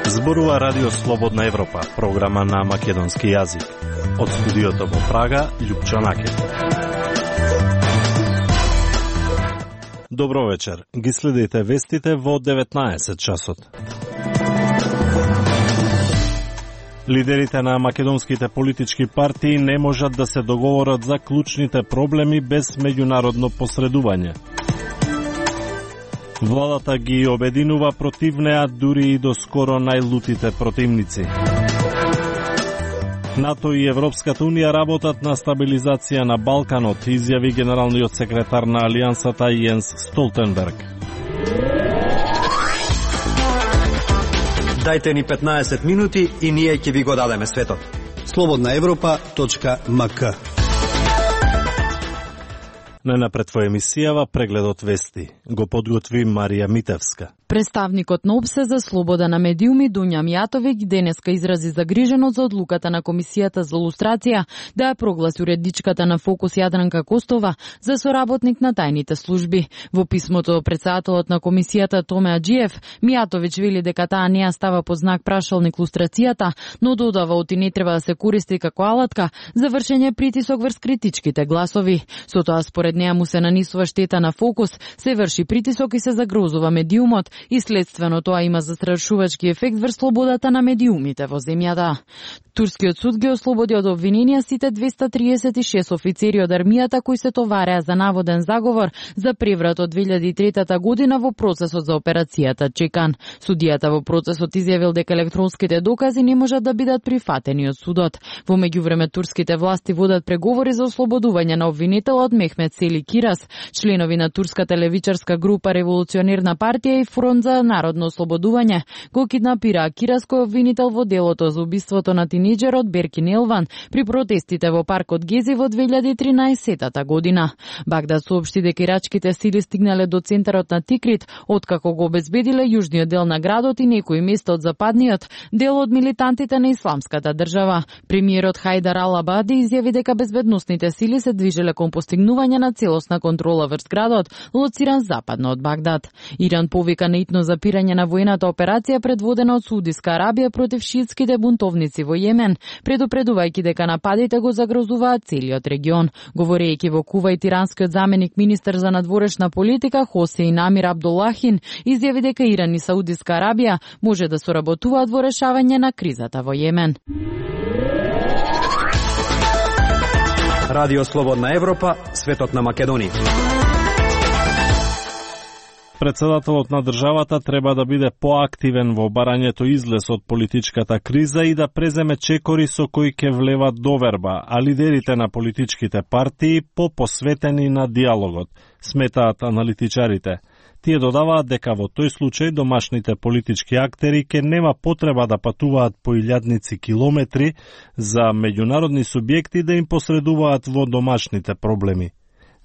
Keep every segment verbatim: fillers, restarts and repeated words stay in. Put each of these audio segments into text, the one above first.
Зборува Радио Слободна Европа, програма на македонски јазик. Од студиото во Прага, Љупчо Накев. Добро вечер. Ги следите вестите во деветнаесет часот. Лидерите на македонските политички партии не можат да се договорат за клучните проблеми без меѓународно посредување. Владата ги обединува против неа дури и до скоро најлутите противници. НАТО и Европската унија работат на стабилизација на Балканот, изјави генералниот секретар на Алијансата Јенс Столтенберг. Дајте ни петнаесет минути и ние ќе ви го дадеме светот. слободна европа точка ем ка. Најнапред во емисијава прегледот вести го подготви Марија Митевска. Представникот на ОПСЕ за слобода на медиуми Дуња Мијатовиќ денеска изрази загриженост за одлуката на Комисијата за лустрација да ја прогласи уредничката на Фокус Јадранка Костова за соработник на тајните служби. Во писмото председателот на Комисијата Томе Аџиев, Мијатовиќ вели дека таа не ја става под знак прашалник лустрацијата, но додава оти не треба да се користи како алатка за вршење притисок врз критичките гласови. Со тоа според неа му се нанесува штета на Фокус, се врши притисок и се загрозува медиумот, и следствено тоа има застрашувачки ефект врз слободата на медиумите во земјата. Турскиот суд ги ослободи од обвиненија сите двеста триесет и шест офицери од армијата кои се товареа за наводен заговор за преврат од две илјади и трета година во процесот за операцијата Чекан. Судијата во процесот изјавил дека електронските докази не можат да бидат прифатени од судот. Во меѓувреме турските власти водат преговори за ослободување на обвинителот Мехмет Сели Кирас, членови на турската левичарска група Револуционерна партија и Фронт за народно ослободување го киднапираа Кирас кој е обвинител во делото за убиството на тинејџерот Беркин Елван при протестите во паркот Гези во две илјади и тринаесета година. Багдад соопшти дека ирачките сили стигнале до центарот на Тикрит, откако го обезбедиле јужниот дел на градот и некои места од западниот дел од милитантите на Исламската држава. Премиерот Хајдар Ал-Абади изјави дека безбедносните сили се движеле кон постигнување на целосна контрола врз градот, лоциран западно од Багдад. Иран повика на итно запирање на воената операција предводена од Саудиска Арабија против шиитските бунтовници во Јемен, предупредувајќи дека нападите го загрозуваат целиот регион. Говорејќи во Кувајт, иранскиот заменик министер за надворешна политика Хосеин Амир Абдуллахин изјави дека Иран и Саудиска Арабија може да соработуваат во решавање на кризата во Јемен. Радио Слободна Европа, светот на Македонија. Председателот на државата треба да биде поактивен во барањето излез од политичката криза и да преземе чекори со кои ќе влеват доверба, а лидерите на политичките партии попосветени на диалогот, сметаат аналитичарите. Тие додаваат дека во тој случај домашните политички актери ќе нема потреба да патуваат по илјадници километри за меѓународни субјекти да им посредуваат во домашните проблеми.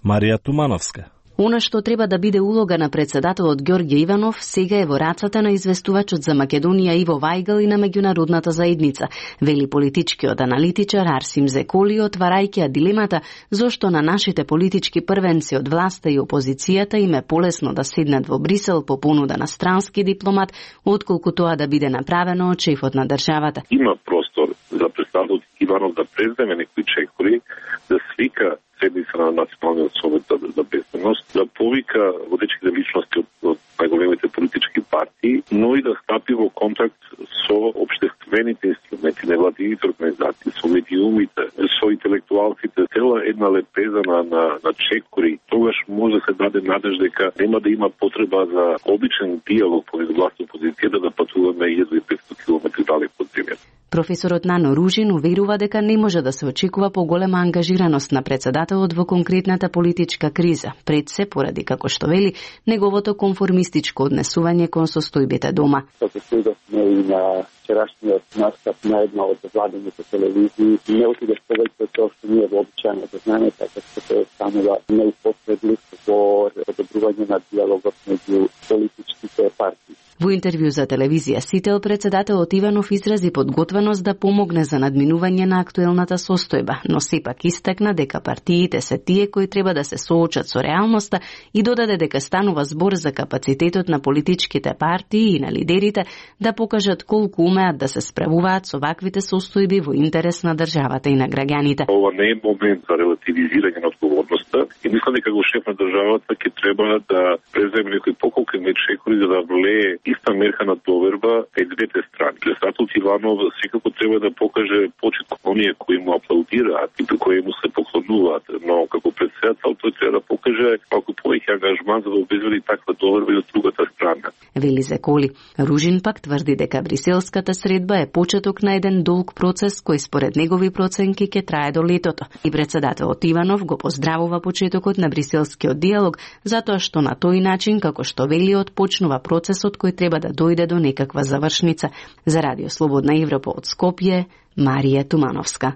Марија Тумановска. Она што треба да биде улога на председателот Ѓорѓе Иванов сега е во рацата на известувачот за Македонија Иво Вајгал и на меѓународната заедница, вели политичкиот аналитичар Арсим Зеколи, отварајќи дилемата зошто на нашите политички првенци од власта и опозицијата им е полесно да седнат во Брисел по понуда на странски дипломат, отколку тоа да биде направено од шефот на државата. Има простор за председателот Иванов да преземе некои чекори, да свика седница на Националниот совет за, за безбедност, да повика водечките личности од, од најголемите политички партии, но и да стапи во контакт со општествените инструменти, невладините организации, со медиумите, со интелектуалците, цела една лепеза на, на, на чекори. Тогаш може да се даде надеж дека нема да има потреба за обичен диалог помеѓу власт и опозицијата да патуваме илјада и петстотини километри далеку од земјата. Професорот Нано Ружин уверува дека не може да се очекува поголема ангажираност на председателот во конкретната политичка криза, пред се поради, како што вели, неговото конформистичко однесување кон состојбите дома. Како следовме и на вчерашниот настап на една од владените телевизии, не отидеш повеќе од тоа што ние вообичаено да знаеме, така што се станува неупотребливо во одобрување на диалогот меѓу политичките партии. Во интервју за телевизија Сител, председателот Иванов изрази подготвеност да помогне за надминување на актуелната состојба, но сепак истакна дека партиите се тие кои треба да се соочат со реалноста и додаде дека станува збор за капацитетот на политичките партии и на лидерите да покажат колку умеат да се справуваат со ваквите состојби во интерес на државата и на граѓаните. Ова не е момент за релативизирање на одговорноста и мислам дека го шеф на државата ќе треба да преземе некои поколки мечекори за да влее иста мерка на доверба и двете страни. Председателот Иванов секако треба да покаже почит кон оние кои му аплаудираат и кои му се поклонуваат, но како председател тој треба да покаже малку повеќе ангажман за да обезбеди таква доверба и од другата страна. Вели Зеколи. Ружин пак тврди дека бриселската средба е почеток на еден долг процес кој според негови проценки ќе трае до летото. И председателот Иванов го поздравува почетокот на бриселскиот диалог затоа што на тој начин, како што вели, отпочнува процесот кој треба да дојде до некаква завршница. За Радио Слободна Европа од Скопје, Марија Тумановска.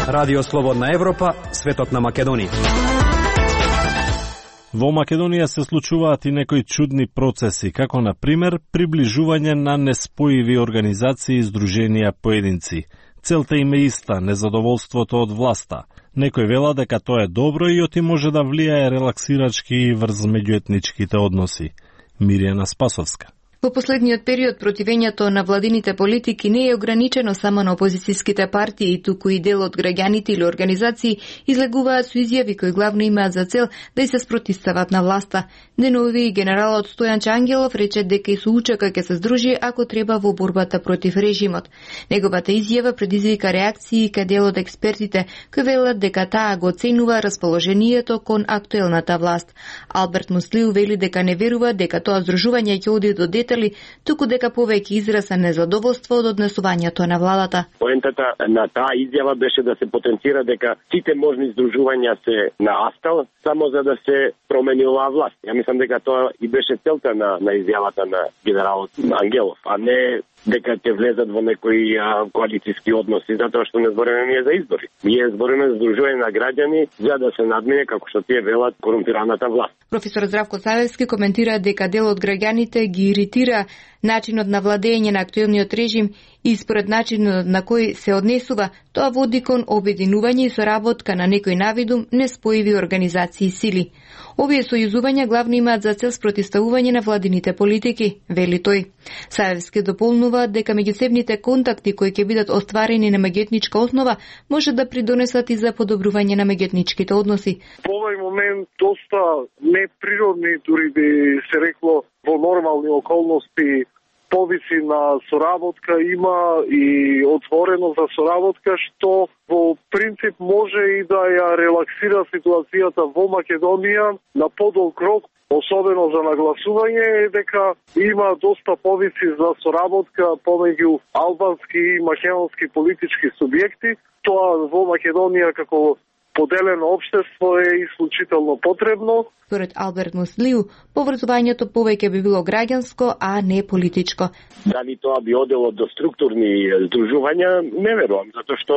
Радио Слободна Европа, светот на Македонија. Во Македонија се случуваат и некои чудни процеси, како на пример приближување на неспоиви организации и здруженија поединци. Целта им е иста, незадоволството од власта. Некој вела дека тоа е добро и оти може да влијае релаксирачки врз меѓуетничките односи. Мирјана Спасовска. Во последниот период противењето на владините политики не е ограничено само на опозицијските партии, туку и дел од граѓаните или организации излегуваат со изјави кои главно имаат за цел да се спротивстават на власта. Денови генералот Стојан Ангелов рече дека и со УЧК ќе се здружи ако треба во борбата против режимот. Неговата изјава предизвика реакции кај дел од експертите кои велат дека таа го оценува расположението кон актуелната власт. Алберт Муслиу вели дека не верува дека тоа здружување ќе оди до детали, туку дека повеќе израз на незадоволство од однесувањето на владата. Поентата на таа изјава беше да се потенцира дека сите можни здружувања се на астал, само за да се промени оваа власт. Ја мислам дека тоа и беше целта на, на изјавата на генералот Ангелов, а не дека ќе влезат во некои а, коалицијски односи, затоа што не збориме ние за избори. Ние збориме за здружување на граѓани за да се надмине, како што тие велат, корумпираната власт. Професор Здравко Савевски коментира дека дел од граѓаните ги иритира начинот на владење на актуелниот режим и според начинот на кој се однесува, тоа води кон обединување и соработка на некој навидум неспоиви организации и сили. Овие сојузувања главно имаат за цел спротивставување на владините политики, вели тој. Савевски дополнува дека меѓусебните контакти кои ќе бидат остварени на меѓуетничка основа може да придонесат и за подобрување на меѓуетничките односи. Во овој момент доста неприродни, дури би се рекло во нормални околности, повици на соработка има и отворено за соработка, што во принцип може и да ја релаксира ситуацијата во Македонија на подолг рок, особено за нагласување е дека има доста повици за соработка помеѓу албански и македонски политички субјекти. Тоа во Македонија како поделено општество е исклучително потребно. Според Алберт Муслиу, поврзувањето повеќе би било граѓанско, а не политичко. Дали тоа би одело до структурни здружувања, не верувам, затоа што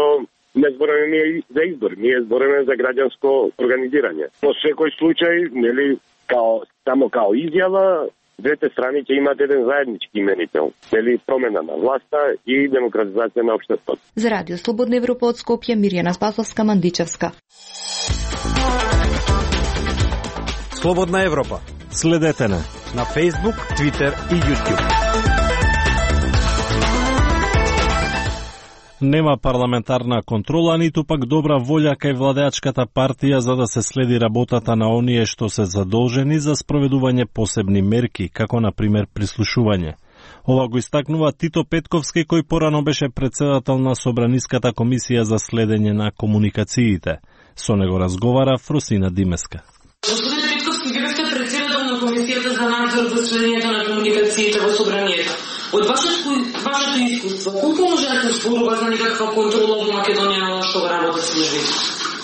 не збориме ние за избор, ние збориме за граѓанско организирање. Во секој случај, нели, као само као изјава, двете страни ќе имаат еден заеднички именител, нели, промена на власта и демократизација на општеството. За Радио Слободна Европа од Скопје, Мирјана Спасовска, Мандичевска. Слободна Европа. Следете на на Facebook, Twitter и YouTube. Нема парламентарна контрола, ниту пак добра волја кај владеачката партија за да се следи работата на оние што се задолжени за спроведување посебни мерки, како на пример прислушување. Ова го истакнува Тито Петковски, кој порано беше председател на Собраниската комисија за следење на комуникациите. Со него разговара Фросина Димеска. Господин Петковски, вие сте председател на комисијата за надзор за следењето на комуникациите во Собранието. Од вашето, вашето искуство, колку може да се зборува за некаква контрола во Македонија на што работат службите?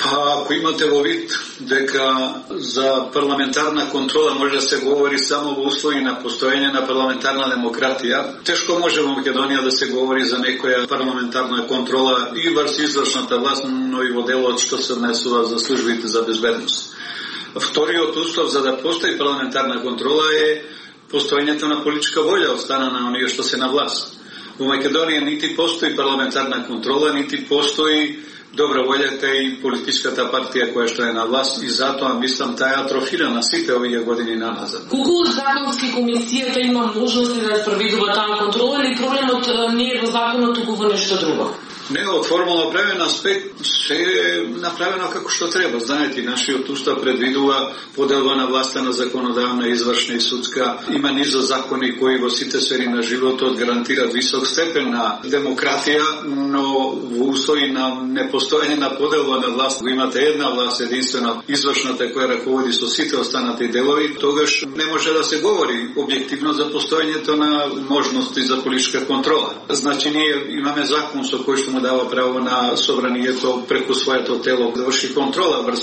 Па, ако имате во вид дека за парламентарна контрола може да се говори само во услови на постоење на парламентарна демократија, тешко може во Македонија да се говори за некоја парламентарна контрола и врз извршната власт, но и во делот што се однесува за службите за безбедност. Вториот услов за да постои парламентарна контрола е постоењето на политичка волја од страна на оние што се на власт. Во Македонија нити постои парламентарна контрола, нити постои добра волјата и политичката партија која што е на власт, и затоа мислам таа атрофира на сите овие години наназад. Колку законски комисијата има можности да спроведува таа контрола, или проблемот не е во законот, туку во нешто друго? Не, од формално правен аспект се е направено како што треба. Знаете, нашиот устав предвидува поделба на власта на законодавна, извршна и судска. Има низа закони кои во сите сфери на животот гарантираат висок степен на демократија, но во услови на непостоење на поделба на власт, го имате една власт единствена, извршната која раководи со сите останати делови, тогаш не може да се говори објективно за постоењето на можности за политичка контрола. Значи, ние имаме закон со кој што му дава право на собранието преку своето тело да врши контрола врз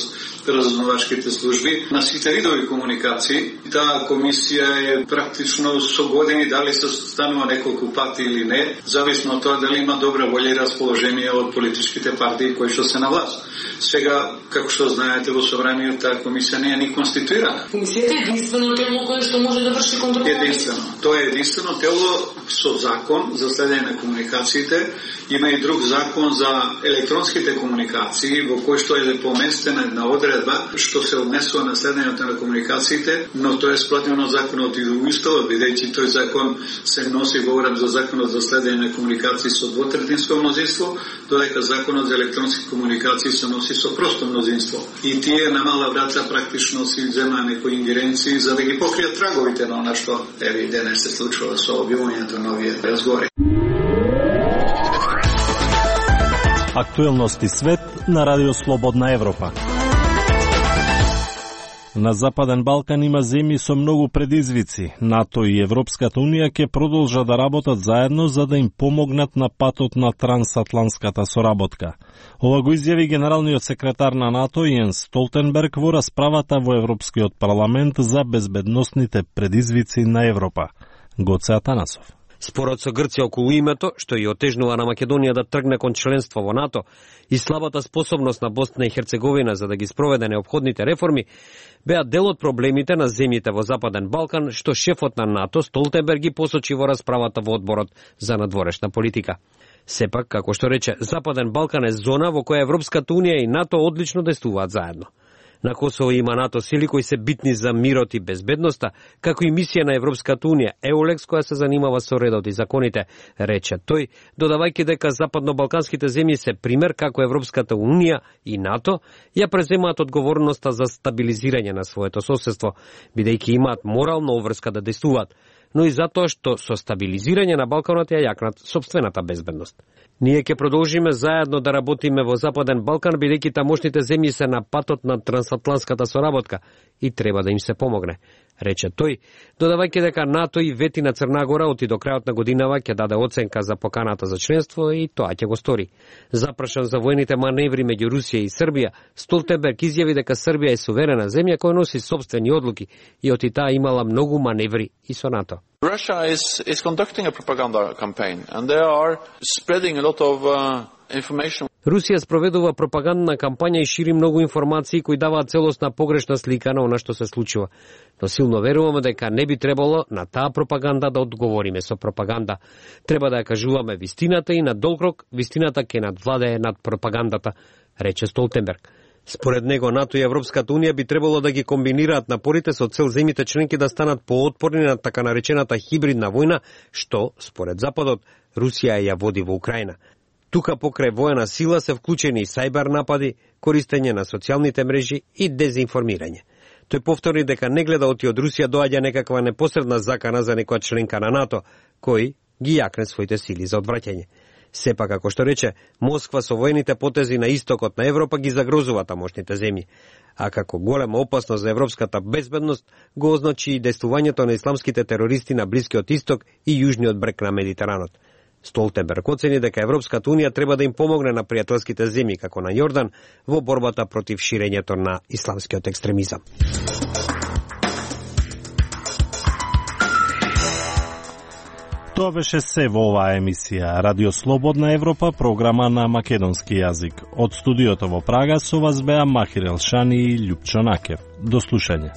разузнавачките служби на сите видови комуникации. Таа комисија е практично со години, дали се станува неколку пати или не, зависно од тоа дали има добра волја и расположение од политичките партии кои што се на власт. Сега, како што знаете, во собранието таа комисија не е ни конституирана. Комисијата е единствено тело кое што може да врши контрола? Единствено. Тоа е единствено тело со закон за следење на комуникациите. Има и друг закон за електронските комуникации, во кој што е поместена една одредба што се однесува на следењето на комуникациите, но тоа е сплатено законот и во уставот, бидејќи тој закон се носи во уред за законот за следење на комуникации со двотретинско мнозинство, додека законот за електронски комуникации се носи со просто мнозинство. И тие на мала враца практично си земаа некои ингеренции за да ги покријат траговите на она што еве денес се случува со објавувањето на овие разговори. Актуелности свет на Радио Слободна Европа. На Западен Балкан има земји со многу предизвици. НАТО и Европската Унија ќе продолжат да работат заедно за да им помогнат на патот на трансатлантската соработка. Ова го изјави генералниот секретар на НАТО Јенс Столтенберг во расправата во Европскиот парламент за безбедносните предизвици на Европа. Гоце Атанасов. Спорот со Грција околу името, што и отежнува на Македонија да тргне кон членство во НАТО, и слабата способност на Босна и Херцеговина за да ги спроведе неопходните реформи, беа дел од проблемите на земјите во Западен Балкан, што шефот на НАТО Столтенберг ги посочи во расправата во одборот за надворешна политика. Сепак, како што рече, Западен Балкан е зона во која Европската Унија и НАТО одлично действуваат заедно. На Косово има НАТО сили кои се битни за мирот и безбедноста, како и мисија на Европската Унија, Еулекс, која се занимава со редот и законите, рече тој, додавајќи дека западно-балканските земји се пример како Европската Унија и НАТО ја преземаат одговорноста за стабилизирање на своето соседство, бидејќи имаат морална обврска да действуваат, но и затоа што со стабилизирање на Балканот ја јакнат собствената безбедност. Ние ќе продолжиме заедно да работиме во Западен Балкан, бидејќи тамошните земји се на патот на трансатлантската соработка и треба да им се помогне, рече тој, додавајќи дека НАТО и вети на Црна Гора оти до крајот на годинава ќе даде оценка за поканата за членство и тоа ќе го стори. Запрашан за војните маневри меѓу Русија и Србија, Столтенберг изјави дека Србија е суверена земја која носи сопствени одлуки и оти таа имала многу маневри и со НАТО. Russia is, is conducting a propaganda campaign and they are spreading a lot of uh, information. Русија спроведува пропагандна кампања и шири многу информации кои даваат целосна погрешна слика на она што се случува. Но силно веруваме дека не би требало на таа пропаганда да одговориме со пропаганда. Треба да ја кажуваме вистината и на долг рок вистината ќе надвладее над пропагандата, рече Столтенберг. Според него, НАТО и Европската Унија би требало да ги комбинираат напорите со цел земјите членки да станат поотпорни на така наречената хибридна војна, што, според Западот, Русија ја води во Украина. Тука покрај воена сила се вклучени и сајбер напади, користење на социјалните мрежи и дезинформирање. Тој повтори дека не гледа оти од Русија доаѓа некаква непосредна закана за некоја членка на НАТО, кој ги јакне своите сили за одвраќање. Сепак, како што рече, Москва со воените потези на истокот на Европа ги загрозува тамошните земји, а како голема опасност за европската безбедност го означи и действувањето на исламските терористи на Блискиот исток и јужниот брег на Медитеранот. Столтенберг оцени дека Европската Унија треба да им помогне на пријателските земји, како на Јордан, во борбата против ширењето на исламскиот екстремизам. Тоа беше се во оваа емисија Радио Слободна Европа, програма на македонски јазик. Од студиото во Прага со вас беа Махир Елшани и Љупчо Накев. До слушање.